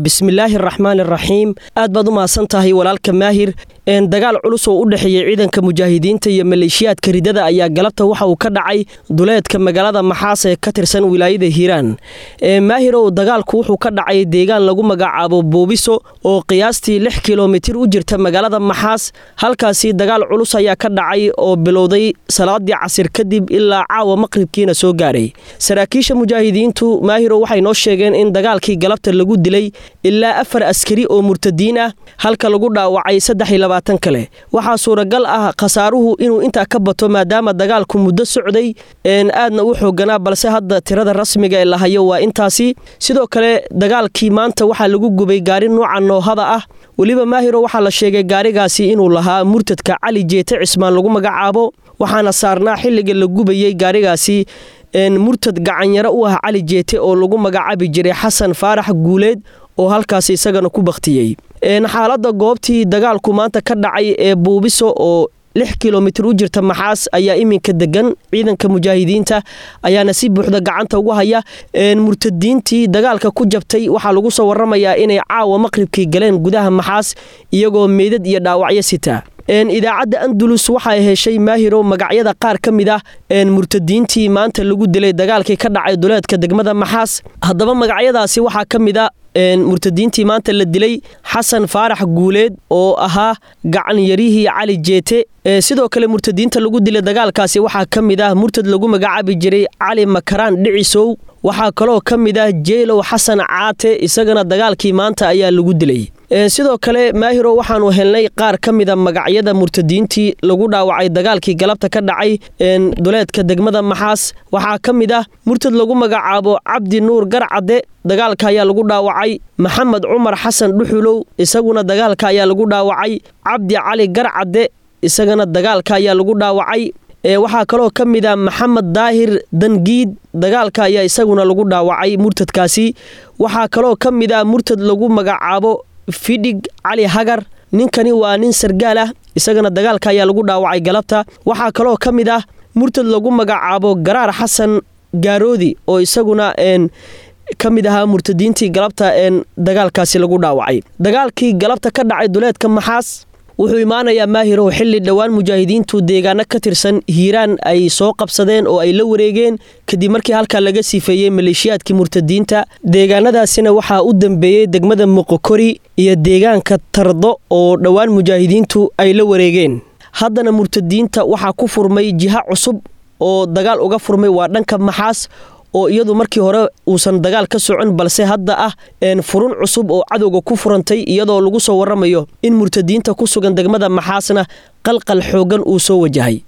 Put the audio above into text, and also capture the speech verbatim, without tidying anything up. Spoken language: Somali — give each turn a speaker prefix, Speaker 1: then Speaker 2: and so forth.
Speaker 1: Bismillaahi araxmaani araxiim. Aad baad u mahadsan tahay, walaalka Maahir. Dagaal culus oo u dhexeeyey ciidanka mujaahidiinta iyo maleeshiyaadka ridada ayaa galabta waxa uu ka dhacay duleedka magaalada Maxaas ee ka tirsan wilaayada Hiiraan. Maahirow, dagaalku wuxuu ka dhacay deegaan lagu magacaabo Buubiso oo qiyaastii lix kilomitir u jirta magaalada Maxaas. Halkaasi dagaal culus ayaa ka dhacay oo bilowday salaadii casir kadib ilaa caawa maqribkiina soo gaaray. Saraakiisha mujaahidiintu, Maahirow, waxay noo sheegeen in dagaalkii galabta lagu dilay ilaa afar askari oo murtadiin ah, halka lagu dhaawacay saddex iyo labaatan kale. Waxaa suuragal ah khasaaruhu inuu intaa ka bato maadaama dagaalku muddo socday aadna u xooganaa, balse hadda tirada rasmiga ee la hayo waa intaasi. Sidoo kale dagaalkii maanta waxaa lagu gubay gaari nuuca noohada ah. Weliba, Maahiro, waxaa la sheegay gaarigaasi inuu lahaa murtadka Cali Jeete Cismaan lagu magacaabo, waxaana saarnaa xilliga la gubayey gaarigaasi murtad gacanyaro u ah Cali Jeete oo lagu magacaabi jiray Xasan Faarax Guuleed oo halkaasi isagana ku bakhtiyey. Xaaladda goobtii dagaalku maanta ka dhacay ee Buubiso oo lix kilomitir u jirta Maxaas ayaa iminka degan, ciidanka mujaahidiinta ayaana si buuxda gacanta ugu haya. Murtadiintii dagaalka ku jabtay waxaa lagu soo waramayaa inay caawa maqribkii galeen gudaha Maxaas iyagoo meydad iyo dhaawacyo sita. Idaacadda Andalus waxay heshay, Maahiro, magacyada qaar ka mid ah murtadiintii maanta lagu dilay dagaalkii ka dhacay duleedka degmada Maxaas. Haddaba magacyadaasi waxaa ka mid a murtadiintii maanta la dilay Xasan Faarax Guuleed oo ahaa gacan yarihii Cali Jeete. Sidoo kale murtadiinta lagu dilay dagaalkaasi waxaa ka mid ah murtad lagu magacaabi jiray Cali Makaraan Dhicisow. Waxaa kaloo ka mid ah Jeylow Xasan Caate, isagana dagaalkii maanta ayaa lagu dilay. Sidoo kale, Maahiro, waxaanu helnay qaar ka mida magacyada murtadiintii lagu dhaawacay dagaalkii galabta ka dhacay duleedka degmada Maxaas. Waxaa ka mid ah murtad lagu magacaabo Cabdi Nuur Garcadde, dagaalka ayaa lagu dhaawacay. Maxamed Cumar Xasan Dhuxulow, isaguna dagaalka ayaa lagu dhaawacay. Cabdi Cali Garcadde, isagana dagaalka ayaa lagu dhaawacay. Waxaa kaloo ka mid ah Maxamed Daahir Dangiid, dagaalka ayaa isaguna lagu dhaawacay murtadkaasi. Waxaa kaloo ka mid ah murtad lagu magacaabo Fidhig Cali Hagar, ninkani waa nin sargaal ah, isagana dagaalka ayaa lagu dhaawacay galabta. Waxaa kaloo ka mid ah murtad lagu magacaabo Garaar Xasan Gaaroodi oo isaguna ka mid ahaa murtadiintii galabta dagaalkaasi lagu dhaawacay. Dagaalkii galabta ka dhacay duleedka Maxaas wuxuu imaanayaa, Maahirow, xilli dhowaan mujaahidiintu deegaano ka tirsan Hiiraan ay soo qabsadeen oo ay la wareegeen kadib markii halkaa laga sifeeyey maleeshiyaadkii murtadiinta. Deegaanadaasina waxaa u dambeeyey degmada Moqokori iyo deegaanka Tardo oo dhowaan mujaahidiintu ay la wareegeen. Haddana murtadiinta waxaa ku furmay jiha cusub oo dagaal uga furmay, waa dhanka Maxaas oo iyadu markii hore uusan dagaal ka socon, balse hadda ah furun cusub oo cadowga ku furantay, iyadoo lagu soo waramayo in murtadiinta ku sugan degmada Maxaasna qalqal xooggan uu soo wajahay.